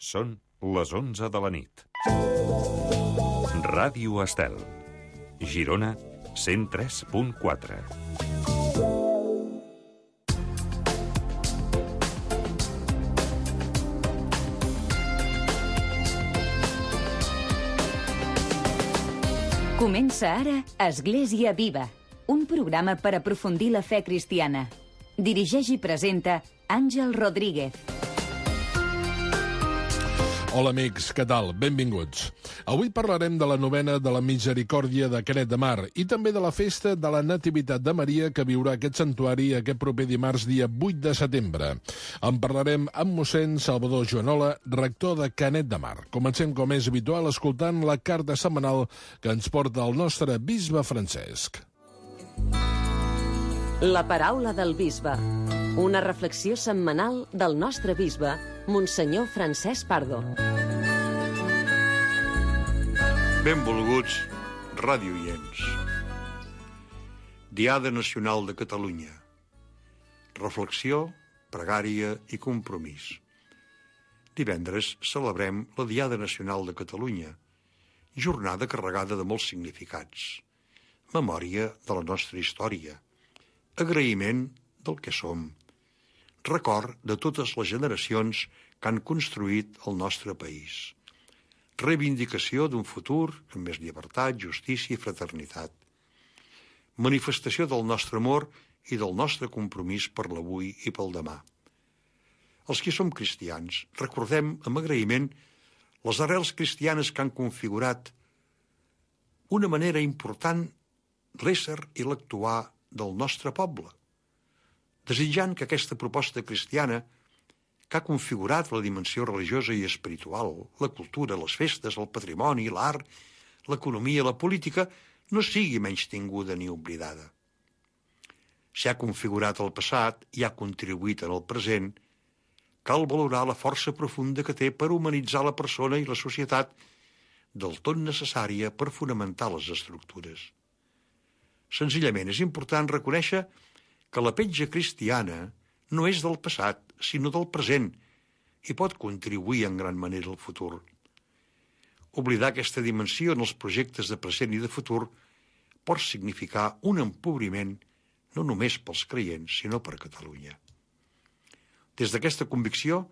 Són les 11 de la nit. Ràdio Estel. Girona, 103.4. Comença ara Església Viva, un programa per aprofundir la fe cristiana. Dirigeix i presenta Àngel Rodríguez. Hola amics, què tal? Benvinguts. Avui parlarem de la novena de la Misericòrdia de Canet de Mar i també de la festa de la Nativitat de Maria que viurà aquest santuari aquest proper dimarts, dia 8 de setembre. En parlarem amb mossèn Salvador Joanola, rector de Canet de Mar. Comencem, com és habitual, escoltant la carta setmanal que ens porta el nostre bisbe Francesc. La paraula del bisbe. Una reflexió setmanal del nostre bisbe, Monsenyor Francesc Pardo. Benvolguts radiooients. Diada Nacional de Catalunya. Reflexió, pregària i compromís. Divendres celebrem la Diada Nacional de Catalunya, jornada carregada de molts significats. Memòria de la nostra història. Agraïment del que som. Record de totes les generacions que han construït el nostre país. Reivindicació d'un futur amb més llibertat, justícia i fraternitat. Manifestació del nostre amor i del nostre compromís per l'avui i pel demà. Els que som cristians recordem amb agraïment les arrels cristianes que han configurat una manera important l'ésser i l'actuar del nostre poble, desitjant que aquesta proposta cristiana, que ha configurat la dimensió religiosa i espiritual, la cultura, les festes, el patrimoni, l'art, l'economia, la política, no sigui menystinguda ni oblidada. Si ha configurat el passat i ha contribuït en el present, cal valorar la força profunda que té per humanitzar la persona i la societat, del tot necessària per fonamentar les estructures. Senzillament és important reconèixer que la petja cristiana no és del passat, sinó del present, i pot contribuir en gran manera al futur. Oblidar aquesta dimensió en els projectes de present i de futur pot significar un empobriment no només pels creients, sinó per Catalunya. Des d'aquesta convicció,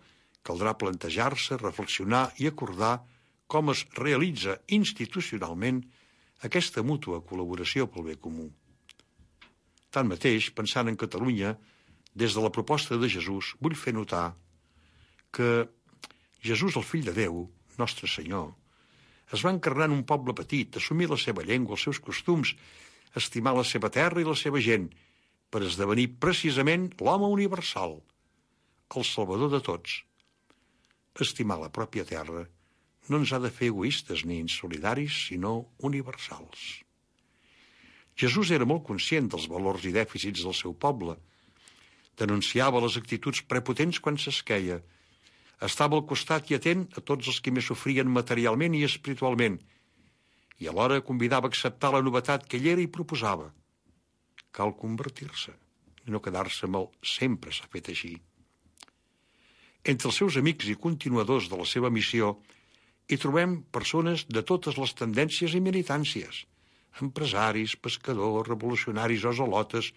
caldrà plantejar-se, reflexionar i acordar com es realitza institucionalment aquesta mútua col·laboració pel bé comú. Tanmateix, pensant en Catalunya, des de la proposta de Jesús, vull fer notar que Jesús, el fill de Déu, nostre Senyor, es va encarnar en un poble petit, assumir la seva llengua, els seus costums, estimar la seva terra i la seva gent, per esdevenir precisament l'home universal, el salvador de tots. Estimar la pròpia terra no ens ha de fer egoistes ni insolidaris, sinó universals. Jesús era molt conscient dels valors i dèficits del seu poble, denunciava les actituds prepotents quan s'esqueia, estava al costat i atent a tots els que més sofrien materialment i espiritualment, i alhora convidava a acceptar la novetat que ell era i proposava. Cal convertir-se, i no quedar-se amb el sempre s'ha fet així. Entre els seus amics i continuadors de la seva missió hi trobem persones de totes les tendències i militàncies, empresaris, pescadors, revolucionaris o zelotes,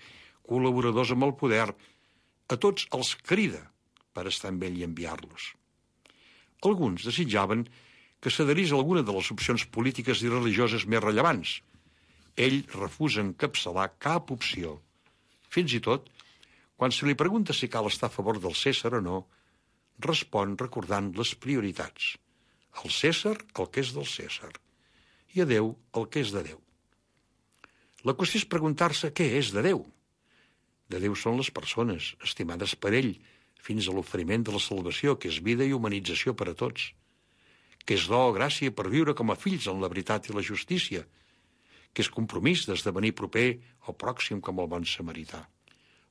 col·laboradors amb el poder. A tots els crida per estar amb ell i enviar-los. Alguns desitjaven que s'adherís a alguna de les opcions polítiques i religioses més rellevants. Ell refusa encapçalar cap opció. Fins i tot, quan se li pregunta si cal estar a favor del Cèsar o no, respon recordant les prioritats. Al Cèsar el que és del Cèsar i a Déu el que és de Déu. La qüestió és preguntar-se què és de Déu. De Déu són les persones, estimades per ell, fins a l'oferiment de la salvació, que és vida i humanització per a tots, que és do o gràcia per viure com a fills en la veritat i la justícia, que és compromís d'esdevenir proper o pròxim com el bon samarità.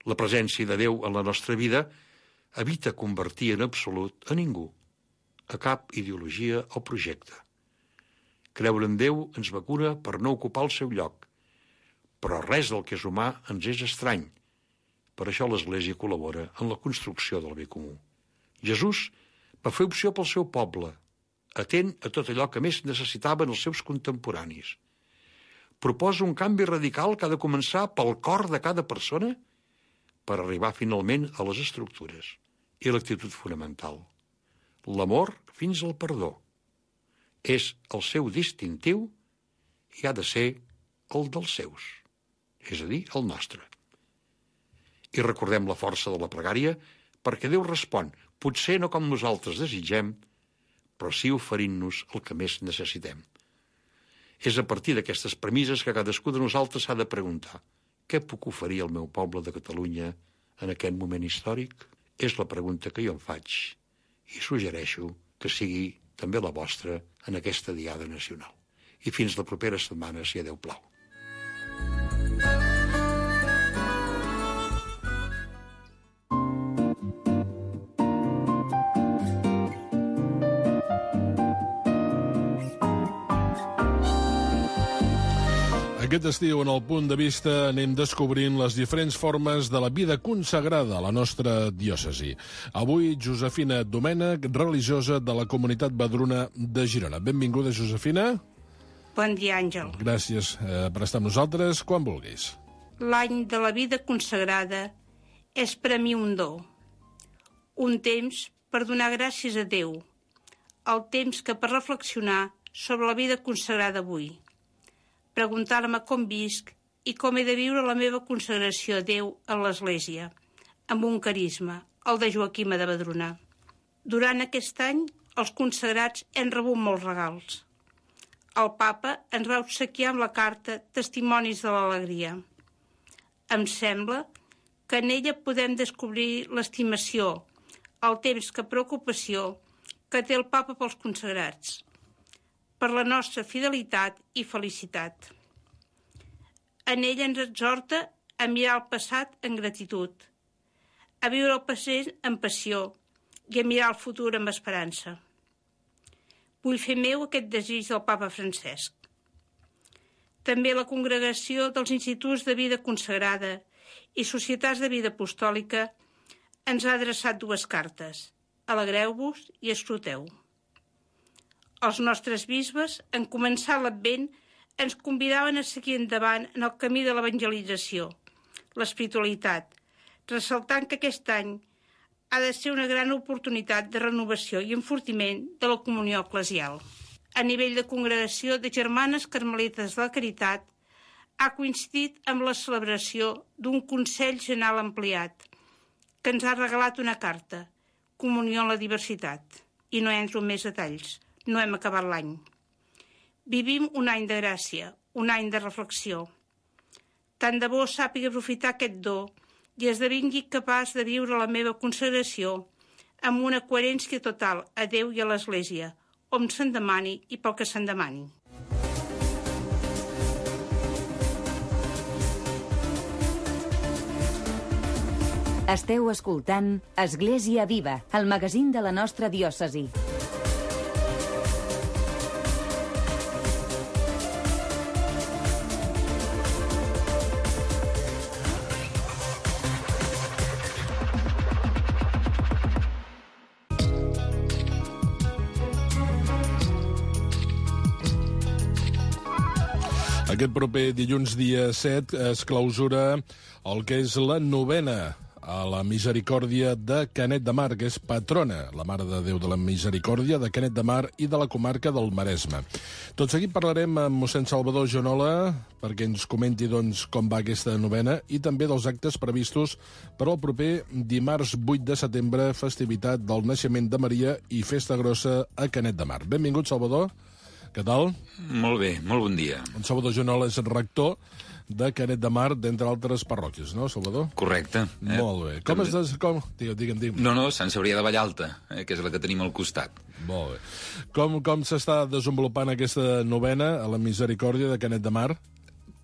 La presència de Déu en la nostra vida evita convertir en absolut a ningú, a cap ideologia o projecte. Creure en Déu ens vacuna per no ocupar el seu lloc, però res del que és humà ens és estrany. Per això l'Església col·labora en la construcció del bé comú. Jesús Va fer opció pel seu poble, atent a tot allò que més necessitaven els seus contemporanis. Proposa un canvi radical que ha de començar pel cor de cada persona per arribar finalment a les estructures i l'actitud fonamental. L'amor fins al perdó. És el seu distintiu i ha de ser el dels seus, és a dir, el nostre. I recordem la força de la pregària perquè Déu respon, potser no com nosaltres desitgem, però sí oferint-nos el que més necessitem. És a partir d'aquestes premisses que cadascú de nosaltres s'ha de preguntar: què puc oferir al meu poble de Catalunya en aquest moment històric? És la pregunta que jo em faig i suggereixo que sigui també la vostra en aquesta Diada Nacional. I fins la propera setmana, si a Déu plau. Aquest estiu, en el Punt de Vista, anem descobrint les diferents formes de la vida consagrada a la nostra diòcesi. Avui, Josefina Domènech, religiosa de la comunitat Vedruna de Girona. Benvinguda, Josefina. Bon dia, Àngel. Gràcies per estar amb nosaltres, quan vulguis. L'any de la vida consagrada és per a mi un do. Un temps per donar gràcies a Déu. El temps que per reflexionar sobre la vida consagrada avui. Preguntar-me com visc i com he de viure la meva consagració a Déu a l'Església, amb un carisma, el de Joaquima de Vedruna. Durant aquest any, els consagrats hem rebut molts regals. El papa ens va obsequiar amb la carta Testimonis de l'Alegria. Em sembla que en ella podem descobrir l'estimació, el temps que preocupació que té el papa pels consagrats, per la nostra fidelitat i felicitat. En ella ens exhorta a mirar el passat en gratitud, a viure el present amb passió i a mirar el futur amb esperança. Vull fer meu aquest desig del papa Francesc. També la congregació dels instituts de vida consagrada i societats de vida apostòlica ens ha adreçat 2 cartes. Alegreu-vos i escruteu. Els nostres bisbes, en començar l'Advent, ens convidaven a seguir endavant en el camí de l'evangelització, l'espiritualitat, ressaltant que aquest any ha de ser una gran oportunitat de renovació i enfortiment de la comunió eclesial. A nivell de congregació de Germanes Carmelites de la Caritat, ha coincidit amb la celebració d'un Consell General ampliat, que ens ha regalat una carta, Comunió en la diversitat. I no entro en més detalls. No hem acabat l'any. Vivim un any de gràcia, un any de reflexió. Tant de bo sàpiga aprofitar aquest do i esdevingui capaç de viure la meva consagració amb una coherència total a Déu i a l'Església, on se'n demani i pel que se'n demani. Esteu escoltant Església Viva, el magazín de la nostra diòcesi. Aquest proper dilluns, dia 7, es clausura el que és la novena a la Misericòrdia de Canet de Mar, que és patrona, la Mare de Déu de la Misericòrdia, de Canet de Mar i de la comarca del Maresme. Tot seguit parlarem amb mossèn Salvador Jonola perquè ens comenti doncs, com va aquesta novena i també dels actes previstos per al proper dimarts 8 de setembre, festivitat del naixement de Maria i festa grossa a Canet de Mar. Benvingut, Salvador. Què tal? Molt bé, molt bon dia. En Salvador Jonola és rector de Canet de Mar, d'entre altres parròquies, no, Salvador? Correcte. Molt bé. Com es Digue'm. No, Sant Cebrià de Vallalta, que és la que tenim al costat. Molt bé. Com s'està desenvolupant aquesta novena a la Misericòrdia de Canet de Mar?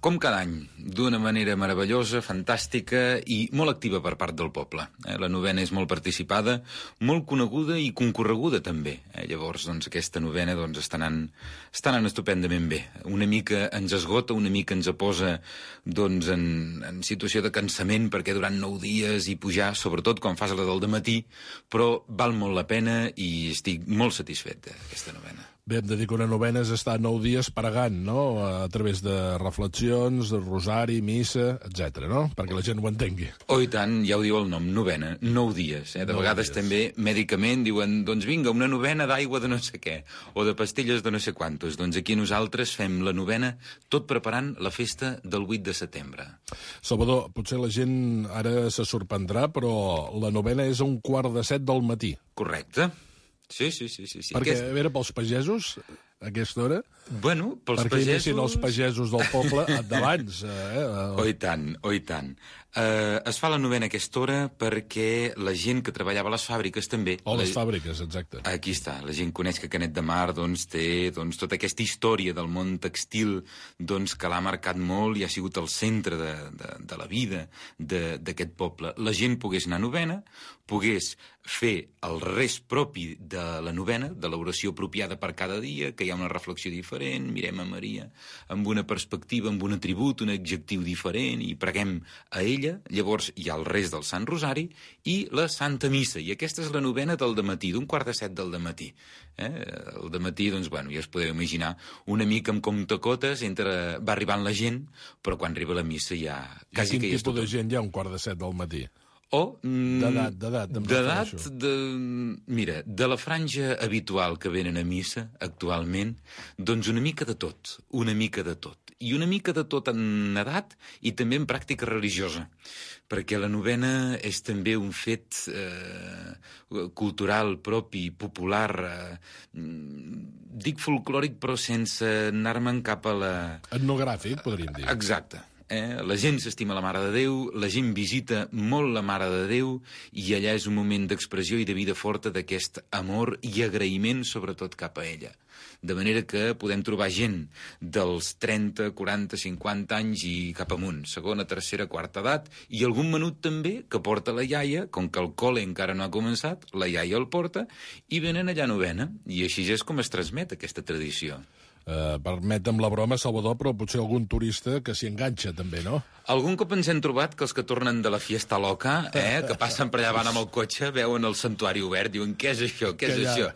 Com cada any, d'una manera meravellosa, fantàstica i molt activa per part del poble. La novena és molt participada, molt coneguda i concorreguda també. Llavors, doncs, aquesta novena està anant estupendament bé. Una mica ens esgota, una mica ens posa en situació de cansament, perquè durant 9 dies i pujar, sobretot quan fas la del dematí, però val molt la pena i estic molt satisfet d'aquesta novena. Bé, hem de dir que una novena és estar 9 dies pregant, no?, a través de reflexions, de rosari, missa, etc., no?, perquè la gent ho entengui. Oh, i tant, ja ho diu el nom, novena, 9 dies. De vegades també, mèdicament, diuen, doncs vinga, una novena d'aigua de no sé què, o de pastilles de no sé quantos. Doncs aquí nosaltres fem la novena tot preparant la festa del 8 de setembre. Salvador, potser la gent ara se sorprendrà, però la novena és a 1:15 del matí. Correcte. Sí. Perquè, a veure, pels pagesos, a aquesta hora... Bueno, pels perquè pagesos... inicien els pagesos del poble d'abans. Oh, i tant. Es fa la novena a aquesta hora perquè la gent que treballava a les fàbriques també... Les fàbriques, exacte. Aquí està. La gent coneix que Canet de Mar té tota aquesta història del món textil que l'ha marcat molt i ha sigut el centre de la vida d'aquest poble. La gent pogués anar a novena, pogués fer el res propi de la novena, de l'oració apropiada per cada dia, que hi ha una reflexió diferent, mirem a Maria amb una perspectiva, amb un atribut, un adjectiu diferent, i preguem a ella. Llavors hi ha el res del Sant Rosari i la Santa Missa, i aquesta és la novena del dematí, d'un 6:45 del dematí. El dematí, ja es podeu imaginar, una mica amb comptacotes, va arribant la gent, però quan arriba la missa ja quasi que hi és tot. I quin tipus de gent hi ha un 6:45 del matí? D'edat, mira, de la franja habitual que venen a missa actualment, doncs una mica de tot. I una mica de tot en edat i també en pràctica religiosa, perquè la novena és també un fet cultural propi, popular, dic folclòric, però sense anar-me'n cap a la... Etnogràfic, podríem dir. Exacte. La gent s'estima la Mare de Déu, la gent visita molt la Mare de Déu i allà és un moment d'expressió i de vida forta d'aquest amor i agraïment, sobretot cap a ella. De manera que podem trobar gent dels 30, 40, 50 anys i cap amunt, segona, tercera, quarta edat, i algun menut també que porta la iaia, com que el col·le encara no ha començat, la iaia el porta, i venen allà a novena, i així és com es transmet aquesta tradició. Permetem la broma, Salvador, però potser algun turista que s'hi enganxa també, no? Algun cop ens hem trobat que els que tornen de la fiesta loca, que passen per allà, van amb el cotxe, veuen el santuari obert, diuen, què és això, què és això?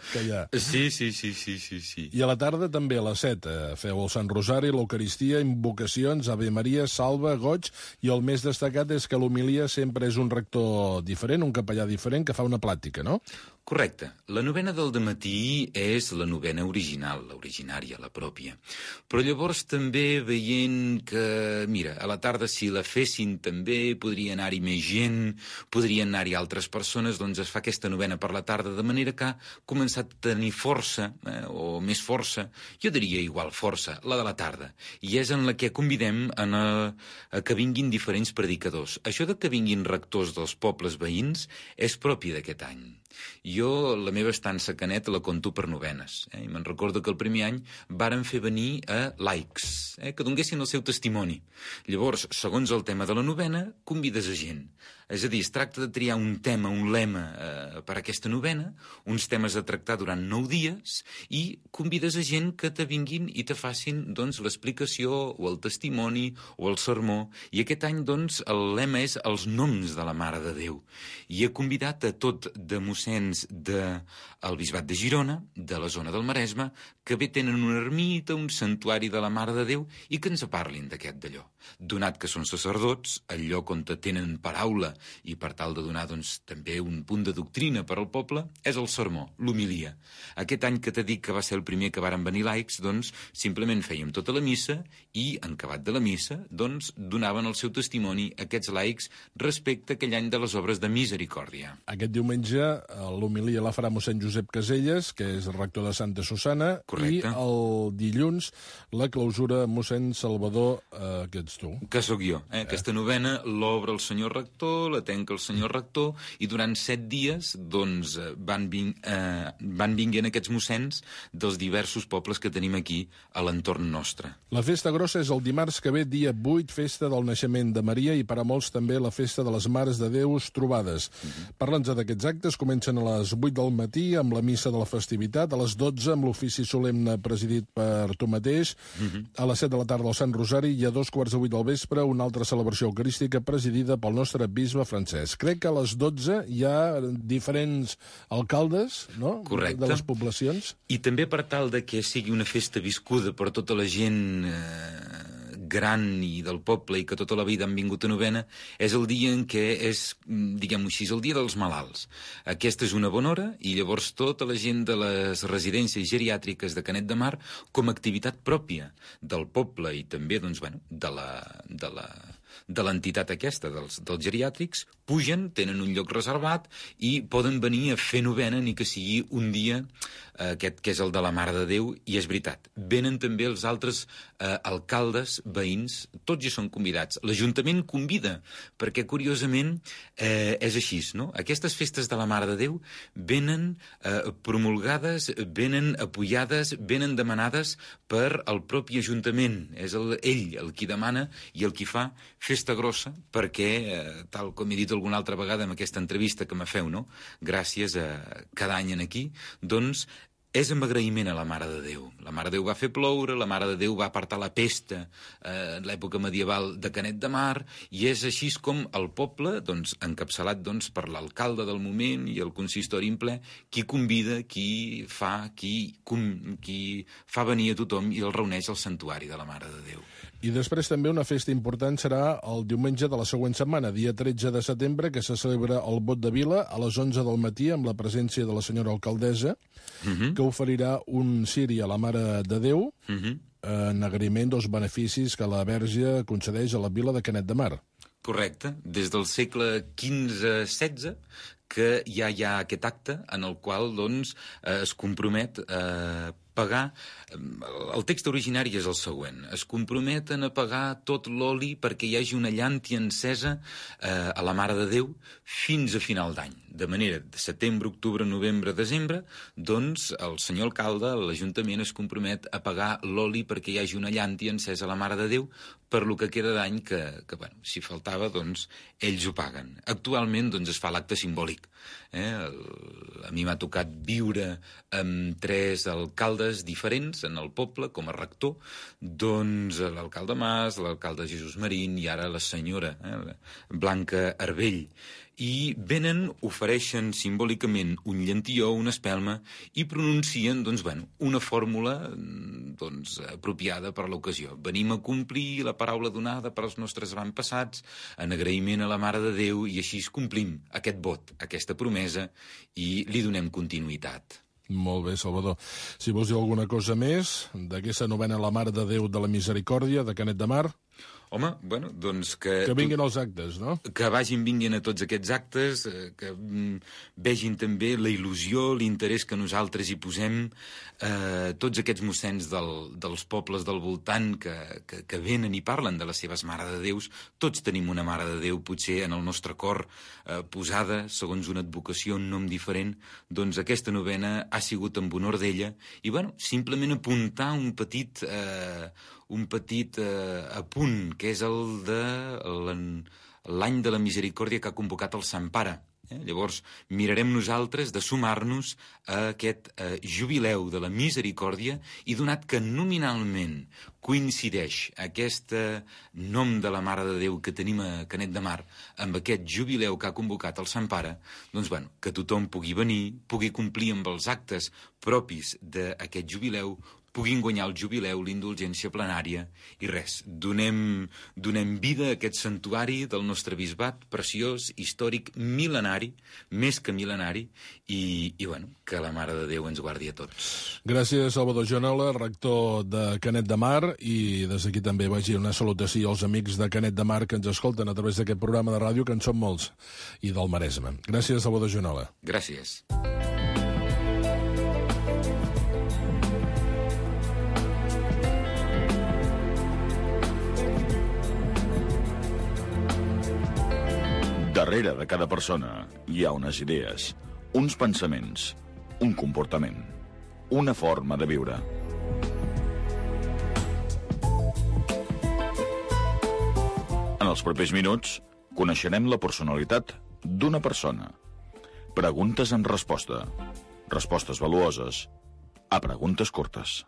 Sí. I a la tarda també a les 7 feu el Sant Rosari, l'Eucaristia, invocacions, Ave Maria, Salve, Goig, i el més destacat és que l'homilia sempre és un rector diferent, un capellà diferent, que fa una plàtica, no? Correcte. La novena del dematí és la novena original, l'originària, la pròpia. Però llavors també veient que, mira, a la tarda si la fessin també podria anar-hi més gent, podrien anar-hi altres persones, doncs es fa aquesta novena per la tarda, de manera que ha començat a tenir força, o més força, jo diria igual força, la de la tarda. I és en la que convidem a que vinguin diferents predicadors. Això de que vinguin rectors dels pobles veïns és propi d'aquest any. Jo, la meva estança a Canet la conto per novenes. I me'n recordo que el primer any varen fer venir a laics, que donguessin el seu testimoni. Llavors, segons el tema de la novena, convides a gent. És a dir, es tracta de triar un tema, un lema per a aquesta novena, uns temes a tractar durant 9 dies, i convides a gent que te vinguin i te facin, doncs, l'explicació o el testimoni o el sermó. I aquest any, doncs, el lema és els noms de la Mare de Déu. I he convidat a tot de mossens del Bisbat de Girona, de la zona del Maresme, que bé tenen una ermita, un santuari de la Mare de Déu, i que ens parlin d'aquest d'allò. Donat que són sacerdots, el lloc on tenen paraula i per tal de donar doncs, també un punt de doctrina per al poble, és el sermó, l'homilia. Aquest any que t'he dit que va ser el primer que varen venir laics, doncs simplement fèiem tota la missa i, en acabat de la missa, doncs donaven el seu testimoni aquests laics respecte a aquell any de les obres de misericòrdia. Aquest diumenge l'homilia la farà mossèn Josep Caselles, que és rector de Santa Susana. Correcte. I el dilluns la clausura mossèn Salvador, que ets tu. Que sóc jo. Aquesta novena l'obre el senyor rector rector, la tanca el senyor rector, i durant 7 dies doncs, van vinguent aquests mossens dels diversos pobles que tenim aquí a l'entorn nostre. La festa grossa és el dimarts que ve, dia 8, festa del naixement de Maria, i per a molts també la festa de les Mares de Déus trobades. Parla'ns d'aquests actes. Comencen a les 8 del matí amb la missa de la festivitat, a les 12 amb l'ofici solemne presidit per tu mateix, a les 7 de la tarda el Sant Rosari, i a 7:15 del vespre una altra celebració eucarística presidida pel nostre bisbe Francesc. Crec que a les 12 hi ha diferents alcaldes, no?, correcte, de les poblacions. I també per tal de que sigui una festa viscuda per tota la gent gran i del poble i que tota la vida han vingut a novena, és el dia en què és, diguem-ho així, el dia dels malalts. Aquesta és una bona hora i llavors tota la gent de les residències geriàtriques de Canet de Mar, com a activitat pròpia del poble i també doncs, bueno, de l'entitat aquesta, dels geriàtrics, pugen, tenen un lloc reservat i poden venir a fer novena, ni que sigui un dia, aquest que és el de la Mare de Déu, i és veritat. Venen també els altres alcaldes, veïns, tots hi són convidats. L'Ajuntament convida, perquè curiosament és així, no? Aquestes festes de la Mare de Déu venen promulgades, venen apoyades, venen demanades per al propi Ajuntament. És ell el qui demana i el qui fa festa grossa, perquè, tal com he dit alguna altra vegada en aquesta entrevista que me feu, no?, gràcies a cada any aquí, doncs és amb agraïment a la Mare de Déu. La Mare de Déu va fer ploure, la Mare de Déu va apartar la pesta en l'època medieval de Canet de Mar, i és així com el poble, doncs, encapçalat doncs, per l'alcalde del moment i el consistori en ple, qui convida, qui fa venir a tothom i el reuneix al santuari de la Mare de Déu. I després també una festa important serà el diumenge de la següent setmana, dia 13 de setembre, que se celebra el Vot de Vila a les 11 del matí amb la presència de la senyora alcaldessa, que oferirà un ciri a la Mare de Déu en agraïment dels beneficis que la Verge concedeix a la vila de Canet de Mar. Correcte. Des del segle XV-XVI que ja hi ha aquest acte en el qual doncs, es compromet a pagar... El text originari és el següent. Es comprometen a pagar tot l'oli perquè hi hagi una llàntia encesa a la Mare de Déu fins a final d'any. De manera, de setembre, octubre, novembre, desembre, doncs el senyor alcalde, l'Ajuntament, es compromet a pagar l'oli perquè hi hagi una llàntia encesa a la Mare de Déu per lo que queda d'any que bueno, si faltava, doncs, ells ho paguen. Actualment, doncs, es fa l'acte simbòlic. A mi m'ha tocat viure amb 3 alcaldes diferents en el poble, com a rector, doncs l'alcalde Mas, l'alcalde Jesús Marín i ara la senyora Blanca Arbell. I venen, ofereixen simbòlicament un llantilló, una espelma, i pronuncien doncs, bueno, una fórmula doncs, apropiada per l'ocasió. Venim a complir la paraula donada per als nostres avantpassats, en agraïment a la Mare de Déu, i així complim aquest vot, aquesta promesa, i li donem continuïtat. Molt bé, Salvador. Si vols dir alguna cosa més d'aquesta novena a la Mare de Déu de la Misericòrdia de Canet de Mar... Home, bueno, doncs que... Que vinguin els actes, no? Que vinguin a tots aquests actes, que vegin també la il·lusió, l'interès que nosaltres hi posem, tots aquests mossens dels pobles del voltant que venen i parlen de les seves Mare de Déus. Tots tenim una Mare de Déu, potser en el nostre cor, posada, segons una advocació, un nom diferent. Doncs aquesta novena ha sigut en honor d'ella. I, bueno, simplement apuntar un petit apunt, que és el de l'any de la Misericòrdia que ha convocat el Sant Pare. Llavors, mirarem nosaltres de sumar-nos a aquest jubileu de la Misericòrdia, i donat que nominalment coincideix aquest nom de la Mare de Déu que tenim a Canet de Mar amb aquest jubileu que ha convocat el Sant Pare, doncs, bueno, que tothom pugui venir, pugui complir amb els actes propis d'aquest jubileu, puguin guanyar el jubileu, l'indulgència plenària, i res, donem vida a aquest santuari del nostre bisbat, preciós, històric, mil·lenari, més que mil·lenari, i bueno, que la Mare de Déu ens guardi a tots. Gràcies, Salvador Joanola, rector de Canet de Mar, i des d'aquí també vagi una salutació als amics de Canet de Mar que ens escolten a través d'aquest programa de ràdio, que en són molts, i del Maresme. Gràcies, Salvador Joanola. Gràcies. De Darrere de cada persona hi ha unes idees, uns pensaments, un comportament, una forma de viure. En els propers minuts, coneixerem la personalitat d'una persona. Preguntes amb resposta. Respostes valuoses a preguntes curtes.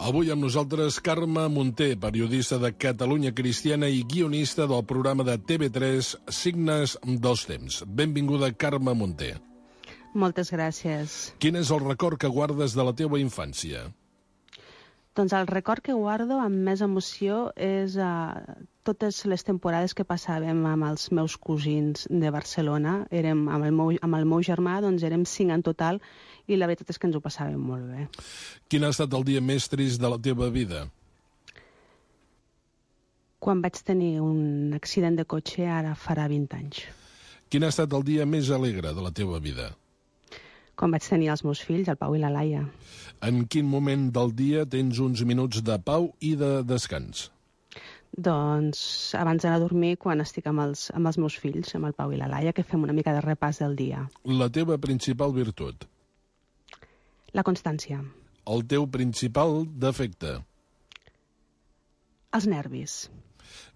Avui amb nosaltres Carme Munté, periodista de Catalunya Cristiana i guionista del programa de TV3 Signes dels Temps. Benvinguda, Carme Munté. Moltes gràcies. Quin és el record que guardes de la teva infància? Doncs el record que guardo amb més emoció és totes les temporades que passàvem amb els meus cosins de Barcelona. Amb el meu germà, doncs érem 5 en total, i la veritat és que ens ho passàvem molt bé. Quin ha estat el dia més trist de la teva vida? Quan vaig tenir un accident de cotxe, ara farà 20 anys. Quin ha estat el dia més alegre de la teva vida? Quan vaig tenir els meus fills, el Pau i la Laia. En quin moment del dia tens uns minuts de pau i de descans? Doncs abans d'anar a dormir, quan estic amb els meus fills, amb el Pau i la Laia, que fem una mica de repàs del dia. La teva principal virtut? La constància. El teu principal defecte? Els nervis.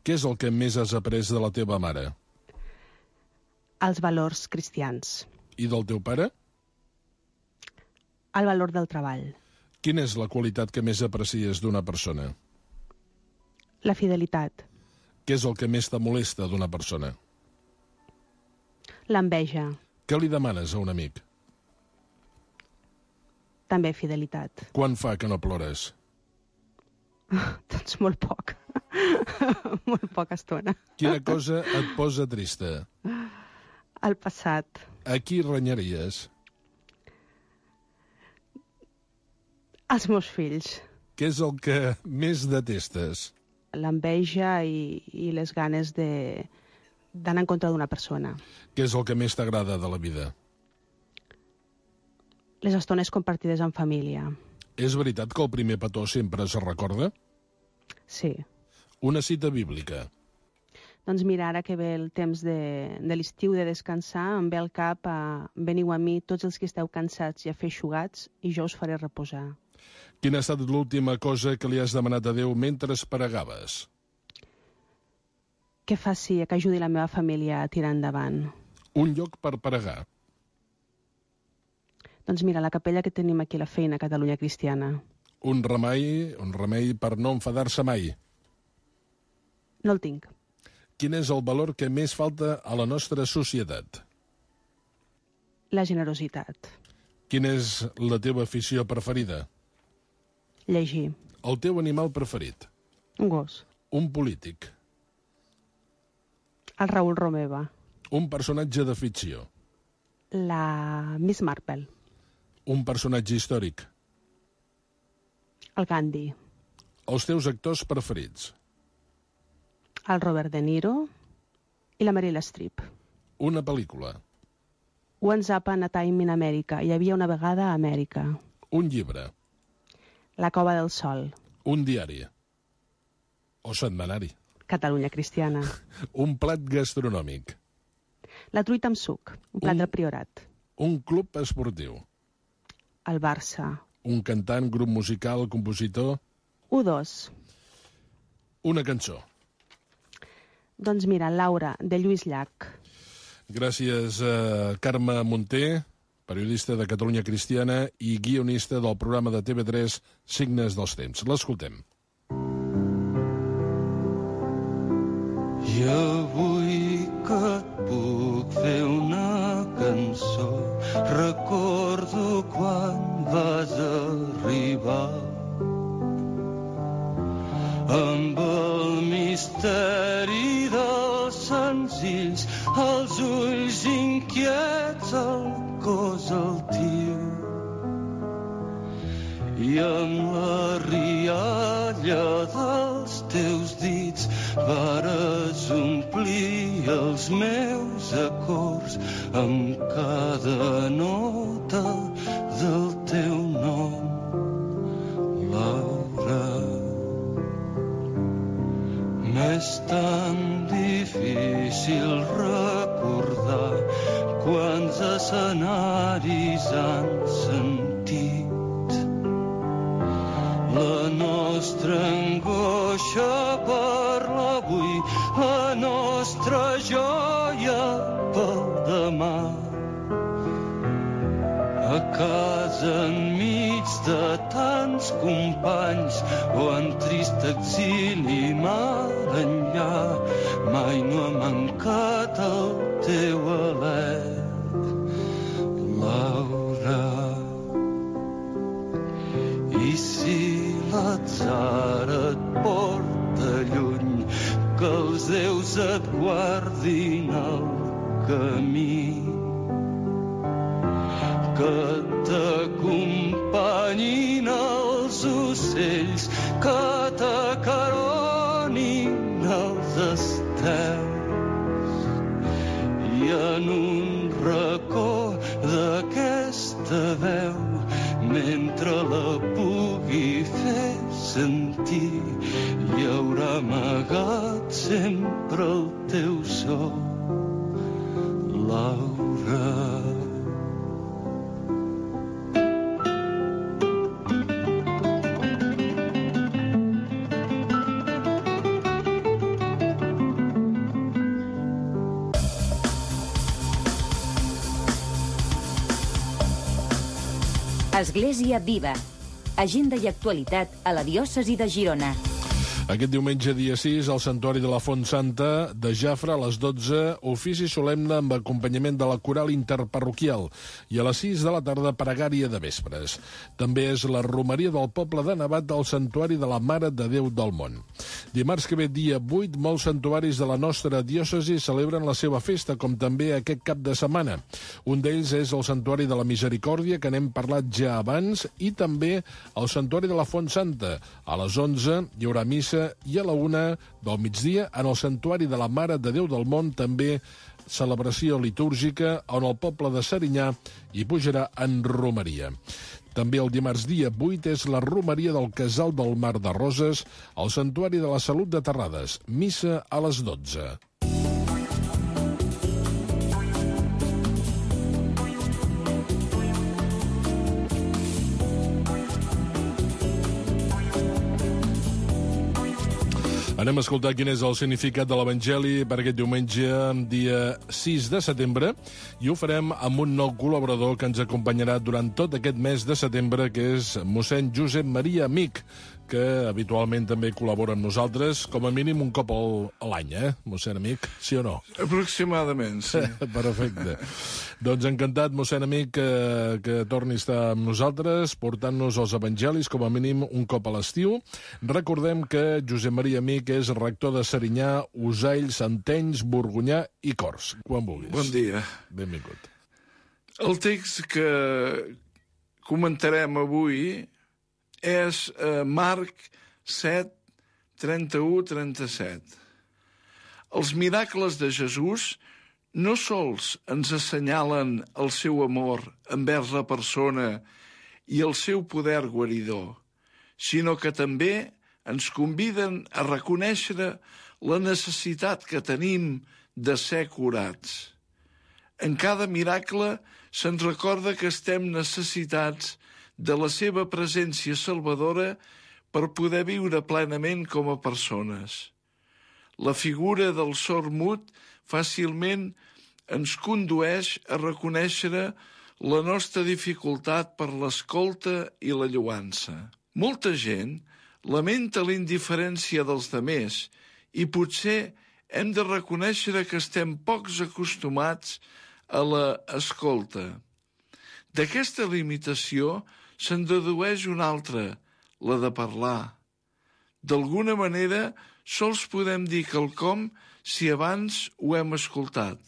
Què és el que més has après de la teva mare? Els valors cristians. I del teu pare? El valor del treball. Quina és la qualitat que més aprecies d'una persona? La fidelitat. Què és el que més te molesta d'una persona? L'enveja. Què li demanes a un amic? També fidelitat. Quan fa que no plores? Doncs molt poc. Molt poca estona. Quina cosa et posa trista? El passat. A qui renyaries? Els meus fills. Què és el que més detestes? L'enveja i les ganes d'anar en contra d'una persona. Què és el que més t'agrada de la vida? Les estones compartides en família. És veritat que el primer petó sempre es recorda? Sí. Una cita bíblica. Doncs mira, ara que ve el temps de l'estiu de descansar, em ve al cap veniu a mi tots els que esteu cansats i afeixugats i jo us faré reposar. Quina ha estat l'última cosa que li has demanat a Déu mentre pregaves? Que ajudi la meva família a tirar endavant. Un lloc per pregar. Doncs mira, la capella que tenim aquí a la feina, a Catalunya Cristiana. Un remei per no enfadar-se mai. No el tinc. Quin és el valor que més falta a la nostra societat? La generositat. Quina és la teva afició preferida? Llegir. El teu animal preferit? Un gos. Un polític? El Raül Romeva. Un personatge de ficció? La Miss Marple. Un personatge històric? El Gandhi. Els teus actors preferits? El Robert De Niro i la Meryl Streep. Una pel·lícula? Once Upon a Time in America. Hi havia una vegada a Amèrica. Un llibre? La Cova del Sol. Un diari? O setmanari? Catalunya Cristiana. Un plat gastronòmic? La truita amb suc, un plat del Priorat. Un club esportiu? El Barça. Un cantant, grup musical, compositor? U2. Una cançó? Doncs mira, Laura, de Lluís Llach. Gràcies, Carme Munté, periodista de Catalunya Cristiana i guionista del programa de TV3 Signes dels Temps. L'escoltem. I avui que et puc fer una cançó, recordo quan vas arribar amb el misteri dels senzills, els ulls inquiets, el cos altiu i amb la rialla dels teus dits vares omplir els meus acords amb cada nota del teu nom, Laura. Més tard escenaris han sentit. La nostra angoixa per l'avui, la nostra joia pel demà. A casa enmig de tants companys o en trist exili mar enllà, mai no ha mancat el teu alè, Laura. I si l'atzar et porta lluny, que els déus et guardin el camí, que t'acompanyin els ocells, que t'acaronin els estels, i en un racó d'aquesta veu, mentre la pugui fer sentir, hi haurà amagat sempre el teu so, Laura. Església Viva. Agenda i actualitat a la diòcesi de Girona. Aquest diumenge, dia 6, al Santuari de la Font Santa de Jafre, a les 12, ofici solemne amb acompanyament de la coral interparroquial i a les 6 de la tarda, pregària de vespres. També és la romeria del poble de Nevat al Santuari de la Mare de Déu del Món. Dimarts que ve, dia 8, molts santuaris de la nostra diòcesi celebren la seva festa, com també aquest cap de setmana. Un d'ells és el Santuari de la Misericòrdia, que n'hem parlat ja abans, i també el Santuari de la Font Santa. A les 11 hi haurà missa i a la 1 del migdia en el Santuari de la Mare de Déu del Món també celebració litúrgica on el poble de Serinyà hi pujarà en romeria. També el dimarts dia 8 és la romeria del Casal del Mar de Roses al Santuari de la Salut de Terrades, missa a les 12. Anem a escoltar quin és el significat de l'Evangeli per aquest diumenge, dia 6 de setembre, i ho farem amb un nou col·laborador que ens acompanyarà durant tot aquest mes de setembre, que és mossèn Josep Maria Amic, que habitualment també col·labora amb nosaltres, com a mínim un cop a l'any, mossèn Amic? Sí o no? Aproximadament, sí. Perfecte. Doncs encantat, mossèn Amic, que torni a estar amb nosaltres, portant-nos els evangelis com a mínim un cop a l'estiu. Recordem que Josep Maria Amic és rector de Serinyà, Usaills, Santenys, Borgonyà i Corts. Quan vulguis. Bon dia. Benvingut. El text que comentarem avui és Marc 7, 31-37. Els miracles de Jesús no sols ens assenyalen el seu amor envers la persona i el seu poder guaridor, sinó que també ens conviden a reconèixer la necessitat que tenim de ser curats. En cada miracle se'ns recorda que estem necessitats de la seva presència salvadora per poder viure plenament com a persones. La figura del sord mut fàcilment ens condueix a reconèixer la nostra dificultat per l'escolta i la lloança. Molta gent lamenta la indiferència dels demés i potser hem de reconèixer que estem pocs acostumats a l'escolta. D'aquesta limitació se'n dedueix una altra, la de parlar. D'alguna manera, sols podem dir quelcom si abans ho hem escoltat.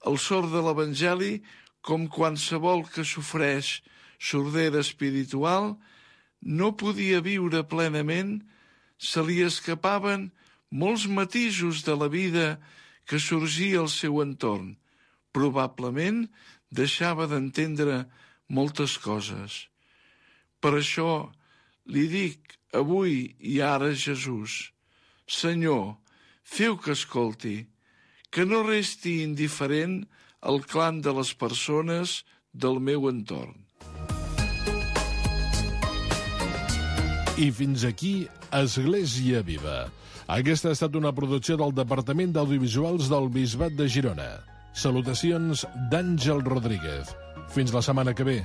El sord de l'Evangeli, com qualsevol que sofreix sordera espiritual, no podia viure plenament, se li escapaven molts matisos de la vida que sorgia al seu entorn. Probablement deixava d'entendre moltes coses. Per això li dic avui i ara a Jesús: Senyor, feu que escolti, que no resti indiferent el clam de les persones del meu entorn. I fins aquí Església Viva. Aquesta ha estat una producció del Departament d'Audiovisuals del Bisbat de Girona. Salutacions d'Àngel Rodríguez. Fins la setmana que ve.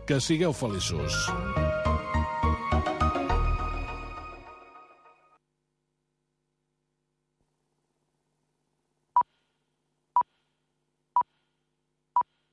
Que sigueu feliços.